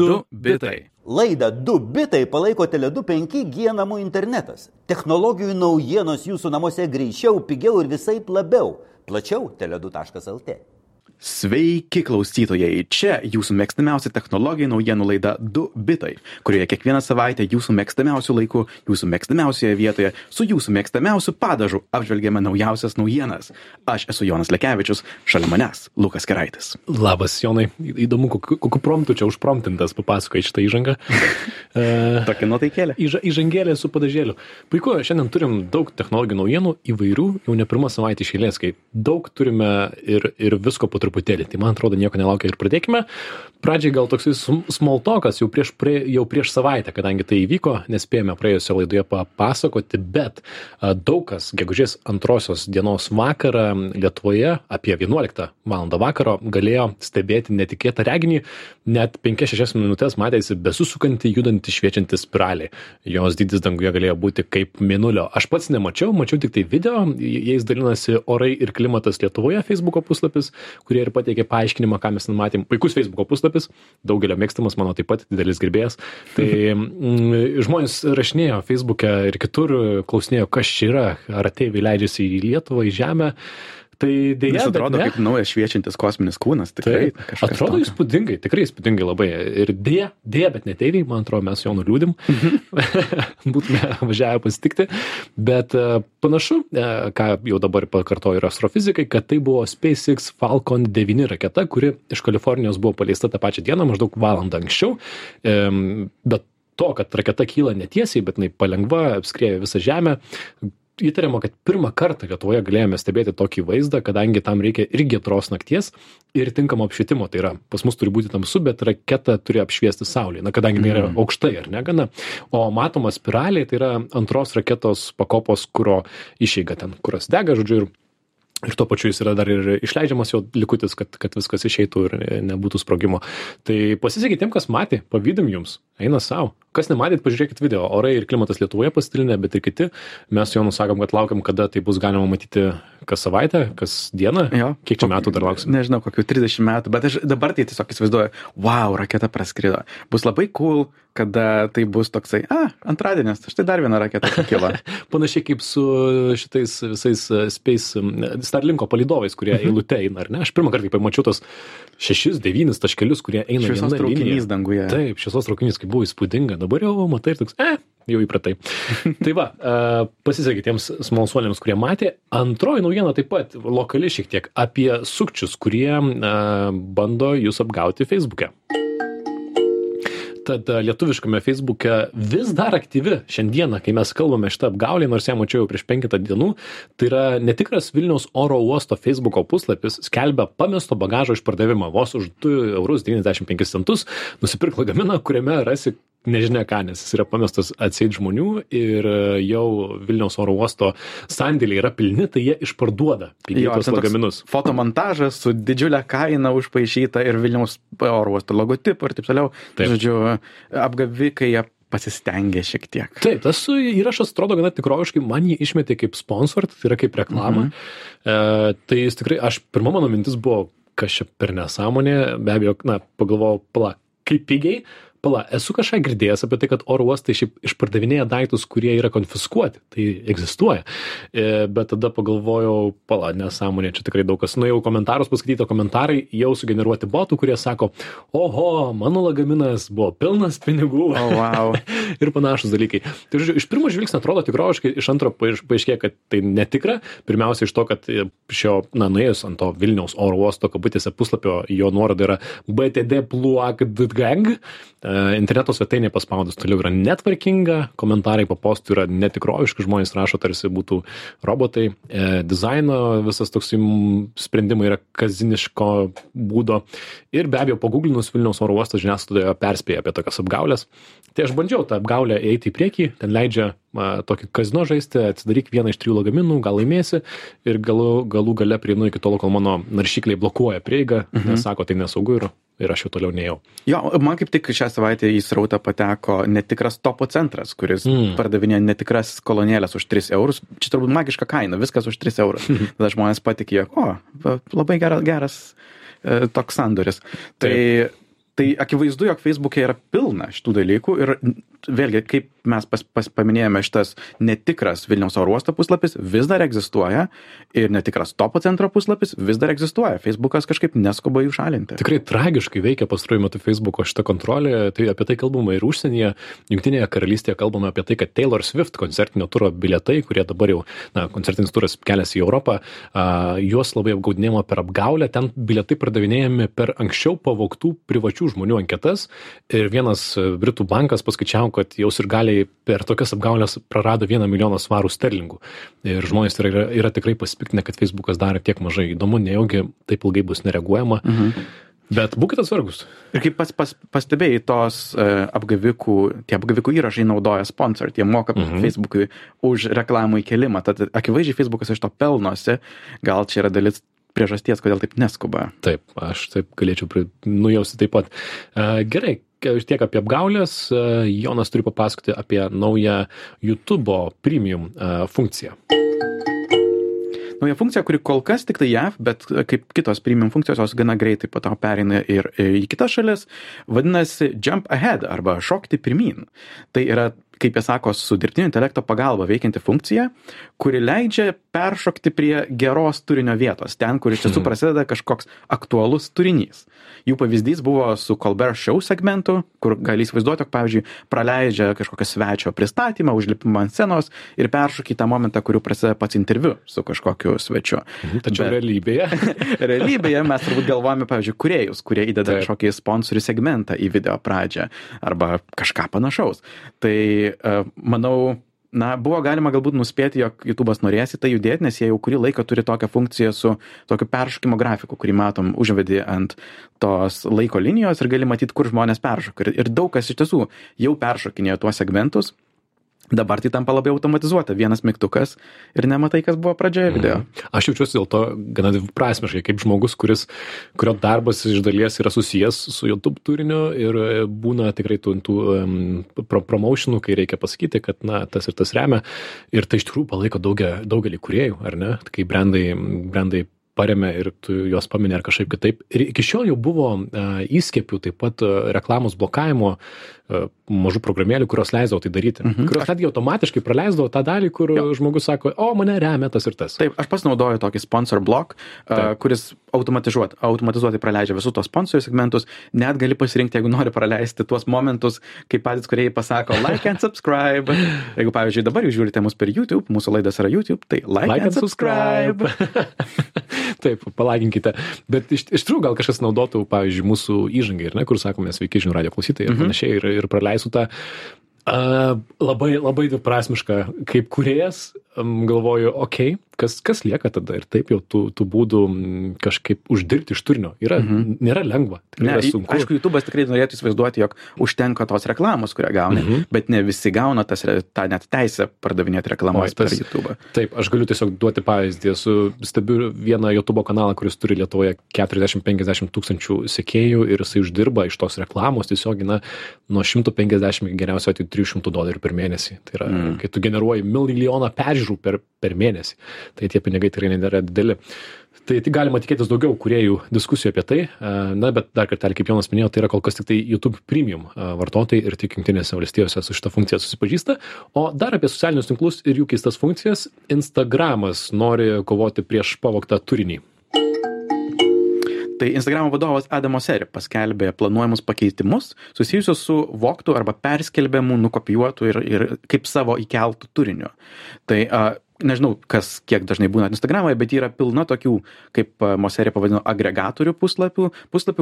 2 bitai. Laidą 2 bitai palaiko Tele2 5G namų internetas. Technologijų naujienos jūsų namuose greičiau, pigiau ir visaip labiau. Plačiau tele2.lt. Sveiki klausytojai, čia jūsų mėgstamiausia technologijų naujienų laida 2 bitai, kurioje kiekvieną savaitę jūsų mėgstamiausių laikų, jūsų mėgstamiausioje vietoje, su jūsų mėgstamiausiu padažu apžvelgiame naujausias naujienas. Aš esu Jonas Lekevičius, šalia manęs Lukas Keraitis. Labas, Jonai, įdomu, kokiu promptu čia užpromptintas papasakoji šitą įžangą. Tokia nuotaikėlė. Įžangėlė su padažėliu. Puiku, šiandien turim daug technologijų naujienų įvairių, jau ne pirmą savaitę iš eilės, kai daug turime ir visko po truputėlį. Tai man atrodo nieko nelaukia ir pradėkime. Pradžiai gal toksai small talkas jau prieš savaitę, kadangi tai įvyko, nespėjome praėjusioje laidoje papasakoti, bet daug kas gegužės 2 dienos vakarą Lietuvoje apie 11 val. Vakaro galėjo stebėti netikėtą reginį, net 5-6 minutės matėsi besusukantį, judantį, šviečiantį spiralį. Jos dydis danguje galėjo būti kaip mėnulio. Aš pats nemačiau tik tai video, jais dalinasi Orai ir klimatas Lietuvoje Facebooko puslapis, kurie ir pateikė paaiškinimą, ką mes matėm. Puikus Facebooko puslapis, daugelio mėgstamas, mano taip pat didelis gerbėjas. Tai žmonės rašinėjo Facebook'e ir kitur, klausinėjo, kas čia yra, ar ateiviai leidžiasi į Lietuvą, į Žemę. Tai dėja, jis atrodo kaip naujas šviečiantis kosminis kūnas, tikrai. Atrodo įspūdingai, tikrai įspūdingai labai. Ir dėja, bet ne ateiviai, man atrodo, mes jo nuliūdim. Būtume važiavę pasitikti. Bet panašu, ką jau dabar pakartojo ir astrofizikai, kad tai buvo SpaceX Falcon 9 raketa, kuri iš Kalifornijos buvo paleista tą pačią dieną, maždaug valandą anksčiau. Bet to, kad raketa kyla netiesiai, bet jinai palengva apskrieja visą Žemę, įtariama, kad pirmą kartą Lietuvoje galėjome stebėti tokį vaizdą, kadangi tam reikia ir giedros nakties, ir tinkamo apšvietimo. Tai yra, pas mus turi būti tamsu, bet raketa turi apšviesti saulė, kadangi jinai yra aukštai, ar ne gana. O matoma spiralė, tai yra antros raketos pakopos kuro išeiga, ten kuras dega, žodžiu, ir tuo pačiu jis yra dar ir išleidžiamas jo likutis, kad viskas išeitų ir nebūtų sprogimo. Tai pasisekė tiem, kas matė, pavydim jums, eina savo. Kas nematėt, pažiūrėkit video. Orai ir klimatas Lietuvoje pasidalinę, bet ir kiti. Mes jau nusakom, kad laukiam, kada tai bus galima matyti kas savaitę, kas dieną. Jo. Kiek čia metų dar lauksim? Nežinau, kokių 30 metų, bet aš dabar tai tiesiog įsivaizduoju, wow, raketa praskrido. Bus labai cool, kada tai bus toksai, antradienis, štai dar viena raketa pakilo. Panašiai kaip su šitais visais Starlinko palydovais, kurie eilute eina, ar ne? Aš pirmą kartą pamačiau tos 6-9 taškelius, kurie eina šviesos traukinys danguje. Taip, šviesos traukinys, kaip buvo įspūdinga. Dabar jau matai ir toks, jau įpratai. Tai va, pasisekė tiems smalsuoliams, kurie matė. Antroji naujiena taip pat lokali šiek tiek apie sukčius, kurie bando jūs apgauti Facebook'e. Tad lietuviškame Facebook'e vis dar aktyvi šiandieną, kai mes kalbame šitą apgaulę, nors ją mačiau prieš 5 dienų, tai yra netikras Vilniaus oro uosto Facebooko puslapis skelbia pamesto bagažo išpardavimą vos už 2,95 €. Nusipirk lagaminą, kuriame rasi nežinia ką, nes jis yra pamestas atseit žmonių ir jau Vilniaus oro uosto sandėliai yra pilni, tai jie išparduoda pigius lagaminus. Fotomontažas su didžiulė kaina užpaišyta ir Vilniaus oro uosto logotipu ir taip toliau. Taip. Žodžiu, apgavikai jie pasistengė šiek tiek. Taip, tas įrašas atrodo gana tikroviškai, man jį išmetė kaip sponsor, tai yra kaip reklama. Tai jis tikrai, pirma mano mintis buvo, kas čia per nesąmonė, be abejo, pagalvojau, kaip pigiai. Esu kažką girdėjęs apie tai, kad oro uostai šiaip išpardavinėja daiktus, kurie yra konfiskuoti. Tai egzistuoja. Bet tada pagalvojau, nesąmonė, čia tikrai daug kas. Nuėjau komentarus, paskaityto komentarai, jau sugeneruoti botų, kurie sako, oho, mano lagaminas buvo pilnas pinigų. Wow. Ir panašus dalykai. Tai žodžiu, iš pirmo žvilgsnio atrodo tikroviškai, iš antro paaiškėjo, kad tai netikra. Pirmiausia iš to, kad nuėjus ant to Vilniaus oro uosto kabutėse puslapio, jo nuoroda yra btd.pluag.gang. Interneto svetainė paspaudus toliau yra netvarkinga, komentarai po postų yra netikroviški, žmonės rašo tarsi būtų robotai, dizaino visas toks sprendimai yra kaziniško būdo ir be abejo paguglinus Vilniaus oro uosto žiniasklaidoje perspėja apie tokias apgaulės. Tai aš bandžiau tą apgaulę eiti į priekį, ten leidžia tokį kazino žaisti, atsidaryk vieną iš 3 lagaminų, gal laimėsi ir galų gale prieinu iki tolo, kol mano naršykliai blokuoja prieigą, nes sako, tai nesaugu ir aš jau toliau neėjau. Jo, man kaip tik šią savaitę į srautą pateko netikras Topo centras, kuris pardavinė netikras kolonėlės už 3 €. Čia turbūt magiška kaina, viskas už 3 €. Tada žmonės patikėjo, labai geras toks sandoris. Tai Tai akivaizdu, jog Facebook'e yra pilna šitų dalykų ir vėlgi, kaip mes paminėjome, šitas netikras Vilniaus oro uosto puslapis vis dar egzistuoja ir netikras Topo centro puslapis vis dar egzistuoja. Facebookas kažkaip neskuba jų šalinti. Tikrai tragiškai veikia pastaruoju metu Facebooko šitą kontrolę, tai apie tai kalbama ir užsienyje, Jungtinėje karalystėje kalbama apie tai, kad Taylor Swift koncertinio turo bilietai, kurie dabar jau, koncertinis turas keliasi į Europą, juos labai apgaudinėjama per apgaulę, ten bilietai pardavinėjami per anksčiau pavogtų privačių žmonių anketas ir vienas Britų bankas paskaičiavo, kad jau sirgaliai per tokias apgaulės prarado 1 milijoną svarų sterlingų. Ir žmonės yra tikrai pasipiktinę, kad Facebookas darė tiek mažai. Įdomu, nejaugi taip ilgai bus nereaguojama. Bet būkite atsargus. Ir kaip pastebėjai, tie apgavikų įrašai naudoja sponsor, tie moka Facebookui už reklamų įkelimą. Tad akivaizdžiai Facebookas iš to pelnosi. Gal čia yra dalis priežasties, kodėl taip neskuba. Taip, aš taip galėčiau nujausti taip pat. Gerai, tiek apie apgaulės. Jonas turi papasakoti apie naują YouTube'o premium funkciją. Nauja funkcija, kuri kol kas tik tai JAV, bet kaip kitos premium funkcijos, jos gana greitai po to pereina ir į kitas šalis, vadinasi Jump Ahead arba šokti pirmyn. Tai yra, kaip jie sako, su dirbtinio intelekto pagalba veikianti funkcija, kuri leidžia peršokti prie geros turinio vietos, ten, kur iš tiesų prasideda kažkoks aktualus turinys. Jų pavyzdys buvo su Colbert Show segmentu, kur gali įsivaizduoti, jog, pavyzdžiui, praleidžia kažkokio svečio pristatymą, užlipimą ant scenos ir peršokį tą momentą, kuriuo prasideda pats interviu su kažkokiu svečiu. Tačiau realybėje mes turbūt galvojame, pavyzdžiui, kūrėjus, kurie įdeda kažkokį sponsorių segmentą į video pradžią arba kažką panašaus. Tai manau, buvo galima galbūt nuspėti, jog YouTube'as norės į tai judėti, nes jie jau kurį laiką turi tokią funkciją su tokiu peršokimo grafiku, kurį matom, užvedi ant tos laiko linijos ir gali matyti, kur žmonės peršoka. Ir daug kas iš tiesų jau peršokinėjo tuos segmentus. Dabar tai tampa labai automatizuota. Vienas mygtukas ir nematai, kas buvo pradžioje video. Aš jaučiuosi dėl to gana dviprasmiškai, kaip žmogus, kurio darbas iš dalies yra susijęs su YouTube turiniu ir būna tikrai tų promotionų, kai reikia pasakyti, kad tas ir tas remia. Ir tai iš tikrųjų palaiko daugelį kūrėjų, ar ne? Kai brandai paremia ir tu juos paminė ar kažkaip kitaip. Ir iki šiol jau buvo įskiepių taip pat reklamos blokavimo mažų programėlių, kurios leisdavo tai daryti. Kurios netgi automatiškai praleisdavo tą dalį, kur žmogus sako, mane remia tas ir tas. Taip, aš pasinaudoju tokį sponsor block, kuris automatizuotai praleidžia visus tos sponsorių segmentus. Net gali pasirinkti, jeigu nori praleisti tuos momentus, kai patys kūrėjai pasako like and subscribe. Jeigu, pavyzdžiui, dabar jūs žiūrite mus per YouTube, mūsų laidas yra YouTube, tai like and subscribe. Taip, palaginkite. Bet iš tikrųjų gal kažkas naudotų, pavyzdžiui, mūsų įžangai, kur sakome, sveiki žinių radijo klausytojai ir panašiai, ir praleisų tą labai, labai dviprasmiška kaip kūrėjas, galvoju, kas lieka tada ir taip jau tų būdų kažkaip uždirbti iš turinio. Nėra lengva. Sunku. Aišku, YouTube'as tikrai norėtų įsivaizduoti, jog užtenka tos reklamos, kurią gauni, bet ne visi gauna tą net teisę pardavinėti reklamos per YouTube'ą. Taip, aš galiu tiesiog duoti pavyzdį. Stebiu vieną YouTube kanalą, kuris turi Lietuvoje 40-50 tūkstančių sekėjų ir jisai uždirba iš tos reklamos tiesiog nuo 150 geriausio atveju $300 per mėnesį. Tai yra, kai tu generuoji milijoną peržiūrų per mėnesį. Tai tie pinigai tikrai nėra dideli. Tai galima tikėtis daugiau kūrėjų diskusijų apie tai. Bet dar kartelį, kaip Jonas minėjo, tai yra kol kas tik tai YouTube Premium vartotojai ir tik Jungtinėse valstijose su šitą funkciją susipažįsta. O dar apie socialinius tinklus ir jų keistas funkcijas. Instagramas nori kovoti prieš pavogtą turinį. Tai Instagramo vadovas Adam Mosseri paskelbė planuojamus pakeitimus susijusius su vogtų arba perskelbiamų, nukopijuotų ir kaip savo įkeltų turiniu. Tai nežinau, kiek dažnai būna Instagramoje, bet yra pilna tokių, kaip Mosseri pavadino, agregatorių puslapių,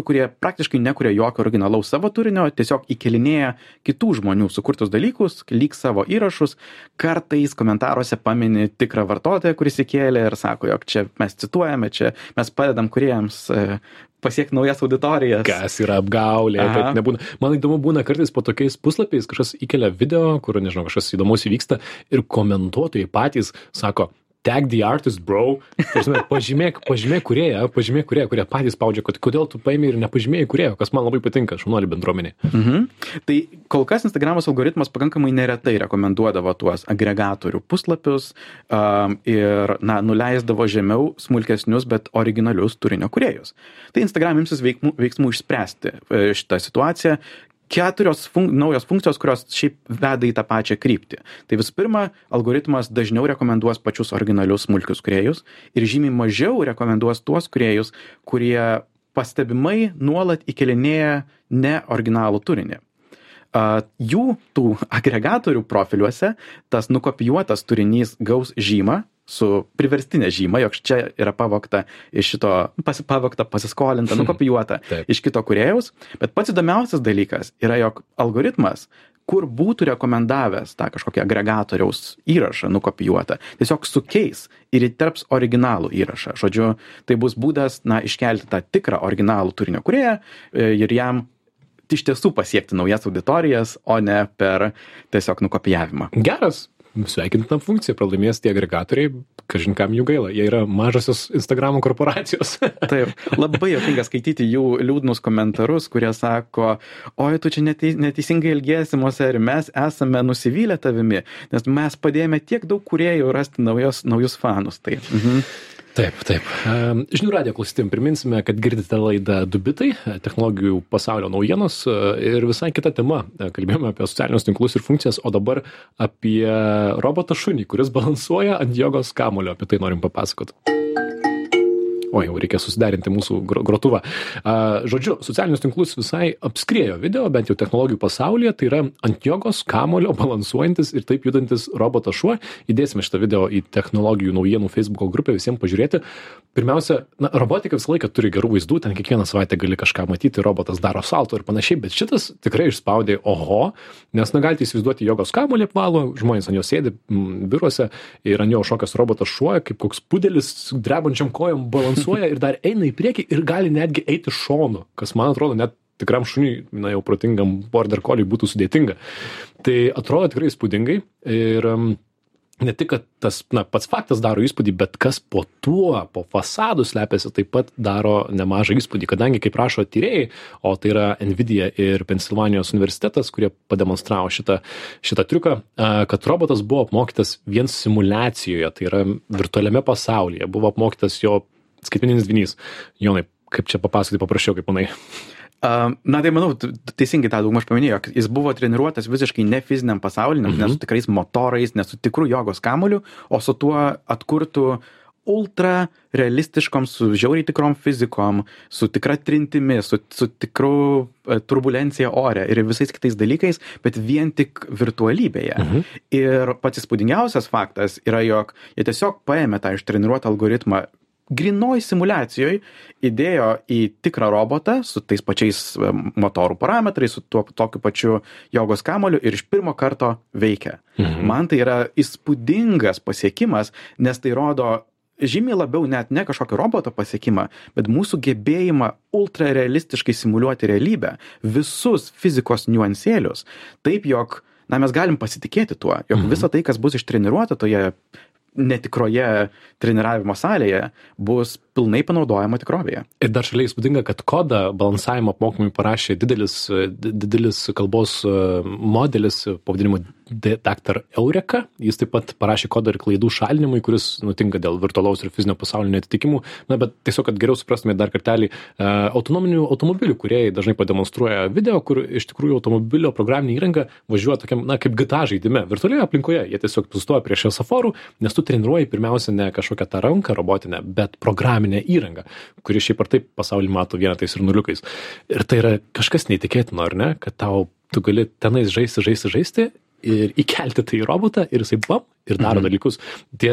kurie praktiškai nekuria jokio originalaus savo turinio, tiesiog įkelinėja kitų žmonių sukurtus dalykus, lyg savo įrašus, kartais komentaruose pamini tikrą vartotoją, kuris įkėlė ir sako, jog čia mes cituojame, čia mes padedam kūrėjams pasiekti naujas auditorijas. Kas yra apgaulė, bet nebūna. Man įdomu būna kartais po tokiais puslapiais kažkas įkelia video, kur, nežinau, kažkas įdomus įvyksta ir komentuotojai patys sako, tag the artist, bro. Prasme, pažymėk kūrėją, kurie patys spaudžia, kodėl tu paimi ir nepažymėjai kūrėjo, kas man labai patinka, šaunuolių bendruomenė. Tai kol kas Instagramos algoritmas pakankamai neretai rekomenduodavo tuos agregatorių puslapius ir nuleisdavo žemiau smulkesnius, bet originalius turinio kūrėjus. Tai Instagram imsis veiksmų išspręsti šitą situaciją. 4 naujos funkcijos, kurios šiaip veda į tą pačią kryptį. Tai visų pirma, algoritmas dažniau rekomenduos pačius originalius smulkius kūrėjus ir žymiai mažiau rekomenduos tuos kūrėjus, kurie pastebimai nuolat įkelinėja neoriginalų turinį. Jų tų agregatorių profiliuose tas nukopijuotas turinys gaus žymą su priverstinė žyma, jog čia yra pavogta iš šito, pasiskolinta, nukopijuota iš kito kūrėjaus. Bet pats įdomiausias dalykas yra, jog algoritmas, kur būtų rekomendavęs tą kažkokį agregatoriaus įrašą nukopijuotą, tiesiog sukeis ir įterps originalų įrašą. Žodžiu, tai bus būdas, iškelti tą tikrą originalų turinio kūrėją ir jam iš tiesų pasiekti naujas auditorijas, o ne per tiesiog nukopijavimą. Geras. Sveikintina funkcija, pralaimės tie agregatoriai, kažin kam jų gaila, jie yra mažosios Instagramo korporacijos. Taip, labai juokinga skaityti jų liūdnus komentarus, kurie sako, oi, tu čia neteisingai elgiesi, ir mes esame nusivylę tavimi, nes mes padėjome tiek daug kūrėjų rasti naujus fanus. Taip. Žinių radijo klausytėm priminsime, kad girdite laidą 2 bitai, technologijų pasaulio naujienos ir visai kita tema. Kalbėjome apie socialinius tinklus ir funkcijas, o dabar apie robotą šunį, kuris balansuoja ant jogos kamuolio. Apie tai norim papasakoti. O, jau reikia susiderinti mūsų grotuvą. Žodžiu, socialinius tinklus visai apskriejo video, bent jau technologijų pasaulyje, tai yra ant jogos kamuolio balansuojantis ir taip judantis robotas šuo. Įdėsime šitą video į technologijų naujienų Facebook'o grupę visiems pažiūrėti. Pirmiausia, robotika visą laiką turi gerų vaizdų, ten kiekvieną savaitę gali kažką matyti, robotas daro salto ir panašiai, bet šitas tikrai išspaudė oho, nes galite įsivaizduoti jogos kamuolį apvalo, žmonės ant jo sėdi biuruose ir ant jo šokas robotas šuo, kaip koks pudelis drebančiam kojom balansuoja ir dar eina į priekį ir gali netgi eiti šonu, kas man atrodo net tikram šuniui, jau protingam border collie būtų sudėtinga. Tai atrodo tikrai įspūdingai ir ne tik, kad tas pats faktas daro įspūdį, bet kas po fasadu slepiasi, taip pat daro nemažą įspūdį, kadangi, kaip rašo tyrėjai, o tai yra Nvidia ir Pensilvanijos universitetas, kurie pademonstravo šitą triuką, kad robotas buvo apmokytas vien simuliacijoje, tai yra virtualiame pasaulyje, buvo apmokytas jo skaitmeninis dvynys. Jonai, kaip čia papasakoti paprašiau, kaip manai? Tai manau, teisingai tą daugmaž paminėjo, jis buvo treniruotas visiškai ne fiziniam pasauliniam, ne su tikrais motorais, ne su tikru jogos kamuoliu, o su tuo atkurtu ultra realistiškom, su žiauriai tikrom fizikom, su tikra trintimi, su tikru turbulencija ore ir visais kitais dalykais, bet vien tik virtualybėje. Ir pats įspūdingiausias faktas yra, jog jie tiesiog paėmė tą ištreniruotą algoritmą grinoj simulacijoje, įdėjo į tikrą robotą su tais pačiais motorų parametrais, su tokiu pačiu jogos kamuoliu ir iš pirmo karto veikia. Man tai yra įspūdingas pasiekimas, nes tai rodo žymiai labiau net ne kažkokio roboto pasiekimą, bet mūsų gebėjimą ultrarealistiškai simuliuoti realybę, visus fizikos niuansėlius, taip jog mes galim pasitikėti tuo, jog visa tai, kas bus ištreniruota toje netikroje treniravimo salėje, bus pilnai panaudojama tikrovėje. Ir dar šalia įspūdinga, kad kodą balansavimo apmokymui parašė didelis kalbos modelis pavadinimu Dr. Eureka. Jis taip pat parašė kodą ir klaidų šalinimui, kuris nutinka dėl virtualaus ir fizinio pasaulio neatitikimų. Bet tiesiog, kad geriau suprastume dar kartelį, autonominių automobilių kūrėjai dažnai pademonstruoja video, kur iš tikrųjų automobilio programinė įranga važiuoja tokiam, kaip GTA žaidime, virtualioje aplinkoje. Jie tiesiog sustoja prie šviesoforų, nes tu treniruoji pirmiausia ne kažkokią tą ranką robotinę, bet programinę įrangą, kuri šiaip ar taip pasaulį mato vienetais ir nuliukais. Ir tai yra kažkas neįtikėtino, ar ne, kad tu gali tenais žaisti ir įkelti tai į robotą ir jisai ir daro dalykus. Tie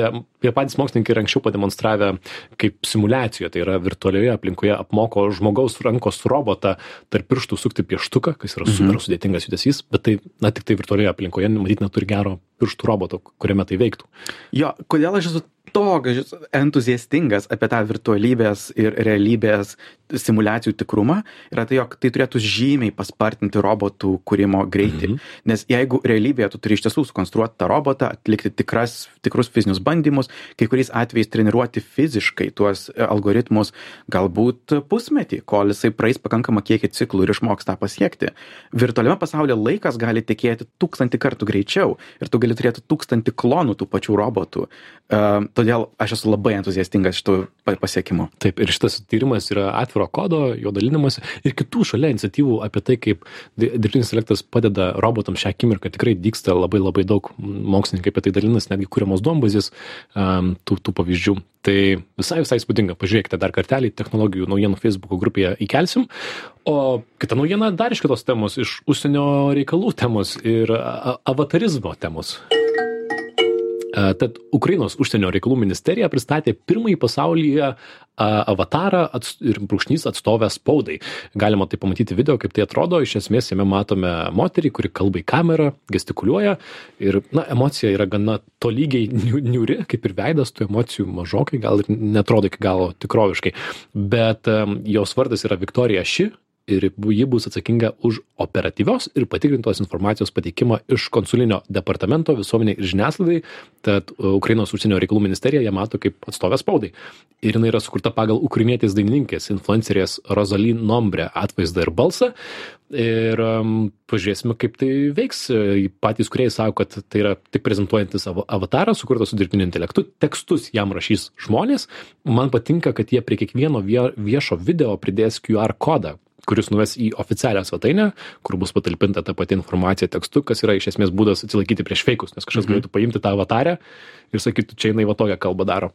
patys mokslininkai ir anksčiau pademonstravę kaip simuliacijoje, tai yra virtualioje aplinkoje apmoko žmogaus rankos robotą tarp pirštų sukti pieštuką, kas yra super sudėtingas judesys, bet tai, tik tai virtualioje aplinkoje, matyt, neturi gero pirštų roboto, kuriame tai veiktų. Jo, kodėl aš esu toks entuziastingas apie tą virtualybės ir realybės simulacijų tikrumą, yra tai, jog tai turėtų žymiai paspartinti robotų kūrimo greitį. Nes jeigu realybėje tu turi iš tiesų sukonstruoti tą robotą, atlikti tikrus fizinius bandymus, kai kuriais atvejais treniruoti fiziškai tuos algoritmus galbūt pusmetį, kol jisai praeis pakankamą kiekį ciklų ir išmoks tą pasiekti. Virtualiame pasaulyje laikas gali tekėti 1000 kartų greičiau ir tu gali turėti 1000 klonų tų pačių robotų. Todėl aš esu labai entuziastingas šitų pasiekimų. Taip, ir šitas tyrimas yra atviro kodo, jo dalinimas ir kitų šalia iniciatyvų apie tai, kaip dirbtinis intelektas padeda robotams šią akimirką. Tikrai dygsta labai daug mokslininkai apie tai dalinas, netgi kuriamos duombazės tų pavyzdžių. Tai visai įspūdinga. Pažiūrėkite dar kartelį, technologijų naujienų Facebook'o grupėje įkelsim. O kita naujiena dar iš kitos temos, iš užsienio reikalų temos ir avatarizmo temos. Tad Ukrainos užsienio reikalų ministerija pristatė pirmąjį pasaulyje avatarą ir brūkšnys atstovę spaudai. Galima tai pamatyti video, kaip tai atrodo. Iš esmės jame matome moterį, kuri kalba į kamerą, gestikuliuoja ir emocija yra gana tolygiai niūri, kaip ir veidas, tų emocijų mažokai, gal ir netrodo iki galo tikroviškai. Bet jos vardas yra Viktorija Ši. Ir ji bus atsakinga už operatyvios ir patikrintos informacijos pateikimą iš konsulinio departamento visuomeniai ir žiniasklaidai. Tad Ukrainos užsienio reikalų ministerija ją mato kaip atstovę spaudai. Ir jinai yra sukurta pagal ukrainietės dainininkės, influencerės Rozalin Nombre atvaizdą ir balsą. Ir pažiūrėsime, kaip tai veiks. Patys kūrėjai sako, kad tai yra tik prezentuojantis avataras, sukurtas su dirbtiniu intelektu. Tekstus jam rašys žmonės. Man patinka, kad jie prie kiekvieno viešo video pridės QR kodą, kuris nuves į oficialią svetainę, kur bus patalpinta ta pati informacija tekstu, kas yra iš esmės būdas atsilaikyti prieš feikus, nes kažkas galėtų paimti tą avatarę ir sakyti, čia jinai va tokią kalbą daro.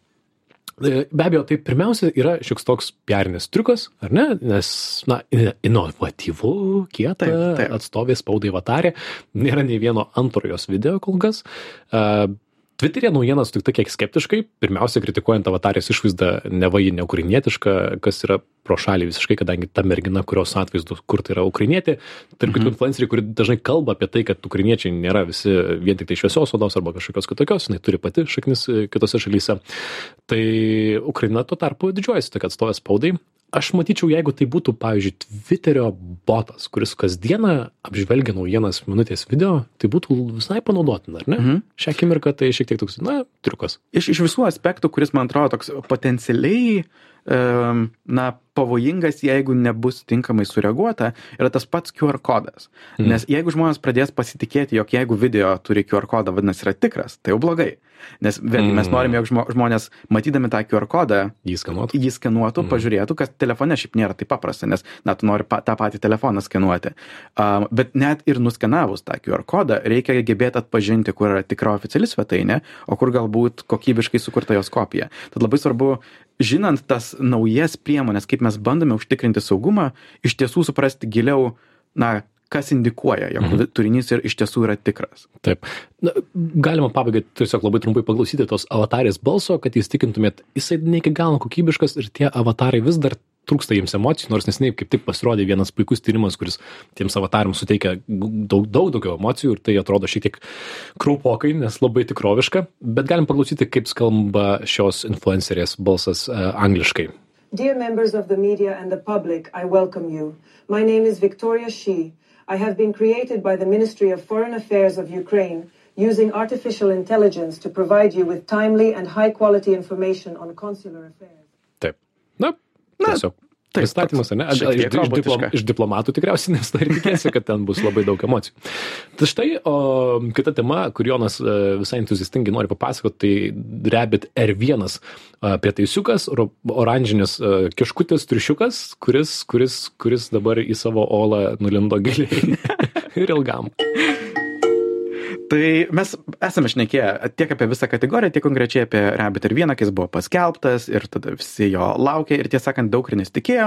Be abejo, tai pirmiausia yra šioks toks piarinis triukas, ar ne? Nes, inovatyvu, kieta, atstovė spaudai avatarė, nėra nei vieno antrojos video kol kas. Twitter'e naujieną sutikta kiek skeptiškai, pirmiausia kritikuojant avatarės išvaizdą neva ji ne ukrainietiška, kas yra pro šalį visiškai, kadangi ta mergina, kurios atvaizdus kurta yra ukrainietė, tarp kitų influenceriai, kuri dažnai kalba apie tai, kad ukrainiečiai nėra visi vien tik tai šviesios odos arba kažkokios kitokios, jinai turi pati šaknis kitose šalyse. Tai Ukraina tuo tarpu didžiuojasi tokia atstovė spaudai. Aš matyčiau, jeigu tai būtų, pavyzdžiui, Twitterio botas, kuris kasdieną apžvelgia naujienas minutės video, tai būtų visai panaudotina, ar ne? Šią akimirką tai šiek tiek toks, triukas. Iš visų aspektų, kuris man atrodo toks potencialiai pavojingas, jeigu nebus tinkamai sureaguota, yra tas pats QR kodas. Nes jeigu žmonės pradės pasitikėti, jog jeigu video turi QR kodą, vadinasi yra tikras, tai jau blogai. Nes vėlgi mes norime, jog žmonės matydami tą QR kodą jį skenuotų, pažiūrėtų, kas telefone šiaip nėra taip paprasta, nes tu nori tą patį telefoną skenuoti. Bet net ir nuskenavus tą QR kodą, reikia gebėti atpažinti, kur yra tikra oficiali svetainė, o kur galbūt kokybiškai sukurta jos kopija. Tad labai svarbu, žinant tas naujas priemonės, kaip mes bandome užtikrinti saugumą, iš tiesų suprasti giliau, kas indikuoja, jog turinys ir iš tiesų yra tikras. Taip. Galima pabaigai tiesiog labai trumpai paklausyti tos avatarės balso, kad įstikintumėt, jisai ne iki galo kokybiškas ir tie avatarai vis dar trūksta jiems emocijų, nors neseniai kaip tik pasirodė vienas puikus tyrimas, kuris tiems avatarams suteikia daug daugiau emocijų ir tai atrodo šiek tiek kraupokai, nes labai tikroviška, bet galim paklausyti, kaip skamba šios influencerės balsas angliškai. Dear members of the media and the public, I welcome you. My name is Victoria Shi. I have been created by the Ministry of Foreign Affairs of Ukraine using artificial intelligence to provide you with timely and high-quality information on consular affairs. Taip. Tiesiog. Pristatymas, ne? Iš diplomatų tikriausiai, nes tai tikėsi, kad ten bus labai daug emocijų. Tai štai, kita tema, kur Jonas visai entuziastingai nori papasakoti, tai Rabbit R1 prietaisiukas, oranžinis kiškutis triušiukas, kuris dabar į savo olą nulindo giliai ir ilgam. Tai mes esame šnekėję tiek apie visą kategoriją, tiek konkrečiai apie Rabbit R1, kai jis buvo paskelbtas ir tada visi jo laukė ir tiesą sakant daug ir nesitikėjo.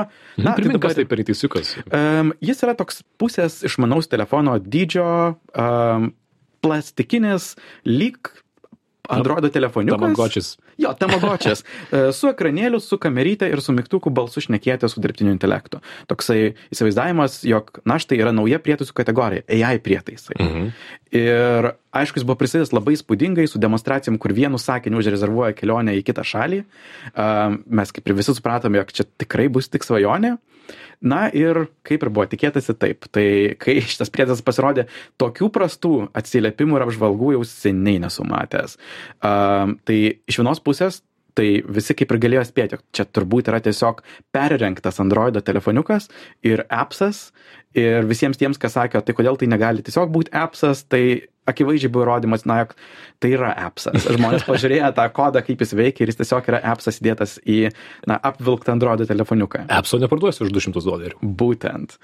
Primink, kas tai prietaisiukas? Jis yra toks pusės išmanaus telefono dydžio, plastikinis, lyg Androido telefoniukas. Tamagotchis. Jo, tamagočias. Su ekranėliu, su kameryte ir su mygtuku balsu šnekėti su dirbtiniu intelektu. Toksai įsivaizdavimas, jog, na, štai yra nauja prietaisų kategorija, AI prietaisai. Ir aišku, jis buvo prisidės labai spūdingai su demonstracijom, kur vienu sakiniu užrezervuoja kelionę į kitą šalį. Mes kaip ir visi supratome, jog čia tikrai bus tik svajonė. Na ir kaip ir buvo tikėtasi taip. Tai kai šitas prietaisas pasirodė, tokių prastų atsiliepimų ir apžvalgų jau seniai nesu matęs. Tai iš vienos pusės, tai visi kaip ir galėjo spėti, čia turbūt yra tiesiog perrengtas Androido telefoniukas ir appsas. Ir visiems tiems, kas sakė, tai kodėl tai negali tiesiog būti appsas, tai akivaizdžiai buvo įrodymas, na, jog tai yra appsas. Žmonės pažiūrėjo tą kodą, kaip jis veikia ir jis tiesiog yra appsas įdėtas į, na, apvilktą Androido telefoniuką. Appso neparduosi už $200. Būtent.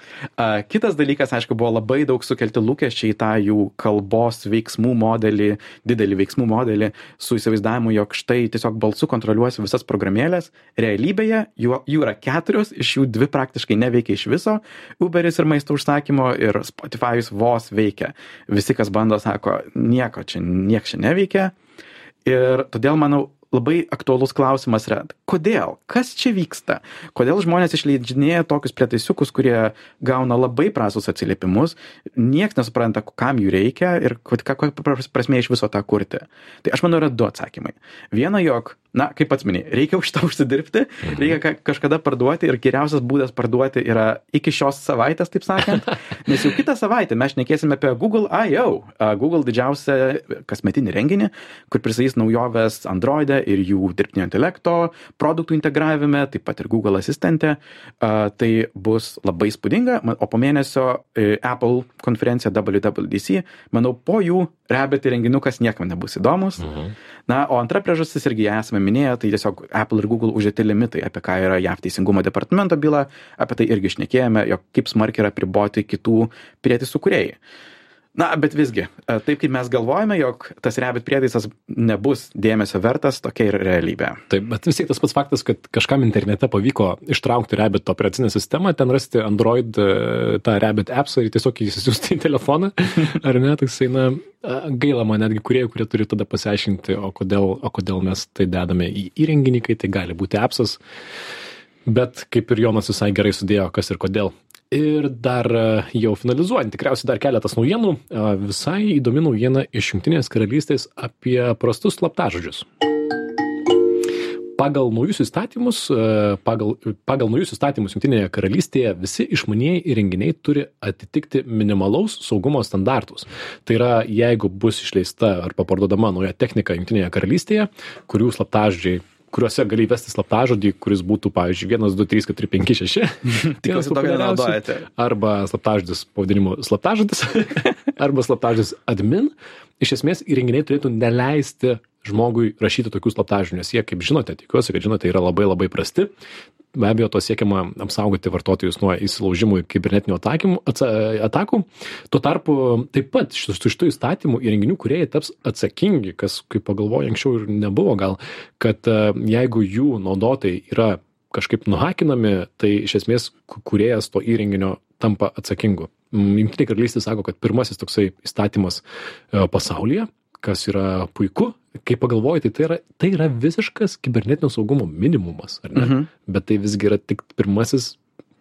Kitas dalykas, aišku, buvo labai daug sukelti lūkesčiai į tą jų kalbos veiksmų modelį, didelį veiksmų modelį, su įsivaizdavimu, jog štai tiesiog balsu kontroliuosi visas programėlės. Realybėje jų yra 4, iš jų 2 praktiškai neveikia iš viso. Uberis ir maisto užsakymo ir Spotify'us vos veikia. Visi, kas bando, sako, nieko čia neveikia. Ir todėl, manau, labai aktualus klausimas yra, kodėl? Kas čia vyksta? Kodėl žmonės išleidžinėja tokius prietaisiukus, kurie gauna labai prastus atsiliepimus, nieks nesupranta, kam jų reikia ir kokia prasmė iš viso tą kurti? Tai aš manau, yra 2 atsakymai. Viena, jog, na, kaip pats minėjai, reikia už tą užsidirbti, reikia kažkada parduoti ir geriausias būdas parduoti yra iki šios savaitės, taip sakant, nes jau kitą savaitę mes šnekėsime apie Google I.O., Google didžiausią kasmetinį renginį, kur pristatys naujoves Android'e ir jų dirbtinio intelekto, produktų integravime, taip pat ir Google asistente. Tai bus labai spūdinga, o po mėnesio Apple konferencija WWDC, manau, po jų Rabbit įrenginukas niekam nebus įdomus. Na, o antra priežastis irgi esame minėję, tai tiesiog Apple ir Google uždėti limitai, apie ką yra JAV teisingumo departamento byla, apie tai irgi šnekėjome, jog kaip smarkiai yra priboti kitų prietaisų kūrėjai. Na, bet visgi, taip kaip mes galvojame, jog tas Rabbit prietaisas nebus dėmesio vertas, tokia ir realybė. Taip, bet vis tiek tas pats faktas, kad kažkam internete pavyko ištraukti Rabbit operacinę sistemą, ten rasti Android tą Rabbit appsą ir tiesiog įsisiųsti į telefoną, ar ne, tai na, gaila man netgi kurie turi tada pasiaiškinti, o kodėl mes tai dedame į įrenginį, kai tai gali būti appsas, bet kaip ir Jonas visai gerai sudėjo, kas ir kodėl. Ir dar jau finalizuojant, tikriausiai dar keletas naujienų, visai įdomi naujiena iš Jungtinės karalystės apie prastus slaptažodžius. Pagal naujus įstatymus Jungtinėje karalystėje visi išmanieji įrenginiai turi atitikti minimalaus saugumo standartus. Tai yra, jeigu bus išleista arba parduodama nauja technika Jungtinėje karalystėje, kurių slaptažodžiai kuriuose gali įvesti slaptažodį, kuris būtų, pavyzdžiui, 1, 2, 3, 4, 5, 6. Tikiuosi tokio nenaudojate. Arba slaptažodis pavadinimu slaptažodis, arba slaptažodis admin. Iš esmės, įrenginiai turėtų neleisti žmogui rašyti tokių slaptažodžių, nes jie, kaip žinote, tikiuosi, kad žinote, yra labai labai prasti. Be abejo, to siekiama apsaugoti vartotojus nuo įsilaužimų ir kibernetinių atakų. Tuo tarpu taip pat su šitų įstatymų įrenginių kūrėjai taps atsakingi, kas, kaip pagalvoju, anksčiau ir nebuvo gal, kad jeigu jų naudotojai yra kažkaip nuhakinami, tai iš esmės kūrėjas to įrenginio tampa atsakingu. Jungtinė karalystė sako, kad pirmasis toksai įstatymas pasaulyje, kas yra puiku, kai pagalvoji, tai yra visiškas kibernetinio saugumo minimumas, ar ne? Bet tai visgi yra tik pirmasis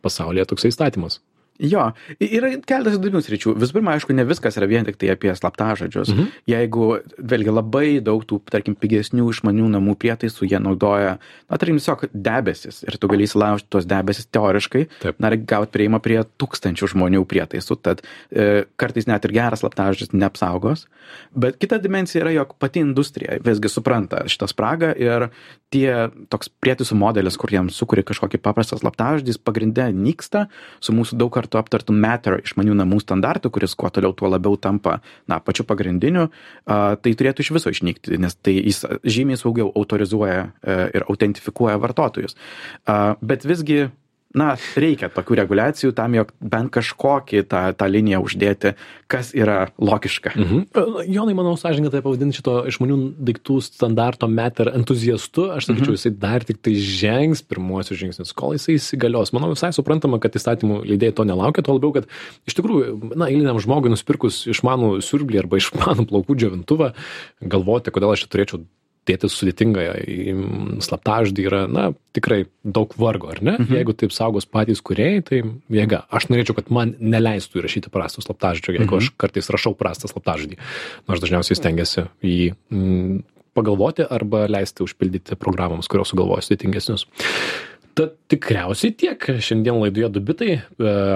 pasaulyje toksai įstatymas. Jo, yra keletas įdomių sričių. Visų pirma, aišku, ne viskas yra vien tik tai apie slaptažodžius. Jeigu, vėlgi, labai daug tų, tarkim, pigesnių išmanių namų prietaisų jie naudoja, na, tarkim, tiesiog debesis ir tu gali įsilaužti tuos debesis teoriškai, na, ir gauti prieimą prie 1000 žmonių prietaisų, tad kartais net ir geras slaptažodis neapsaugos. Bet kita dimensija yra, jog pati industrija visgi supranta šitą spragą ir toks prietaisų modelis, kur jiems sukuria kažkokį paprastą slaptažodį, pagrinde nyksta su mūsų daug kartų aptartų Matter išmanių namų standartų, kuris kuo toliau tuo labiau tampa, na, pačiu pagrindiniu, tai turėtų iš viso išnykti, nes tai jis žymiai saugiau autorizuoja ir autentifikuoja vartotojus. Bet visgi, na, reikia tokių reguliacijų tam, jog bent kažkokį tą liniją uždėti, kas yra logiška. Jonai, manau, sąžininkai tai pavadinti šito išmanių daiktų standarto Matter entuziastu, aš sakyčiau, jisai dar tik tai žengs pirmuosius žingsnius, kol jisai įsigalios. Manau, visai suprantama, kad įstatymų leidėjai to nelaukia, tuo labiau, kad iš tikrųjų, na, eiliniam žmogui nusipirkus išmanų siurblį arba išmanų plaukų džiovintuvą, galvoti, kodėl aš čia turėčiau dėti sudėtingą slaptažodį yra, tikrai daug vargo, ar ne? Jeigu taip saugos patys kūrėjai, tai jėga. Aš norėčiau, kad man neleistų įrašyti prastų slaptažodžio, jeigu aš kartais rašau prastą slaptažodį. Nors dažniausiai stengiasi jį pagalvoti arba leisti užpildyti programoms, kurios sugalvoja sudėtingesnius. Tad tikriausiai tiek. Šiandien laidoje 2 bitai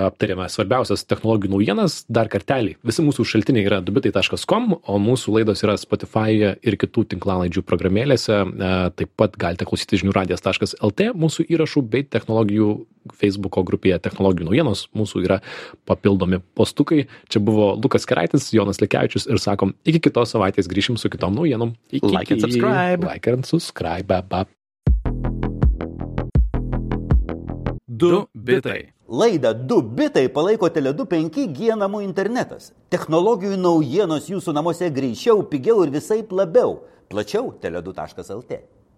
aptarėme svarbiausias technologijų naujienas. Dar kartelį. Visi mūsų šaltiniai yra 2bitai.com, o mūsų laidos yra Spotify'e ir kitų tinklalaidžių programėlėse. Taip pat galite klausyti žiniųradijas.lt mūsų įrašų bei technologijų Facebook'o grupėje technologijų naujienos. Mūsų yra papildomi postukai. Čia buvo Lukas Keraitis, Jonas Lekevičius ir sakom, iki kitos savaitės grįšim su kitom naujienom. Like and subscribe. Like and subscribe. 2 bitai. Laidą 2 bitai palaiko Tele2 5G namų internetas. Technologijų naujienos jūsų namuose greičiau, pigiau ir visaip labiau. Plačiau tele2.lt.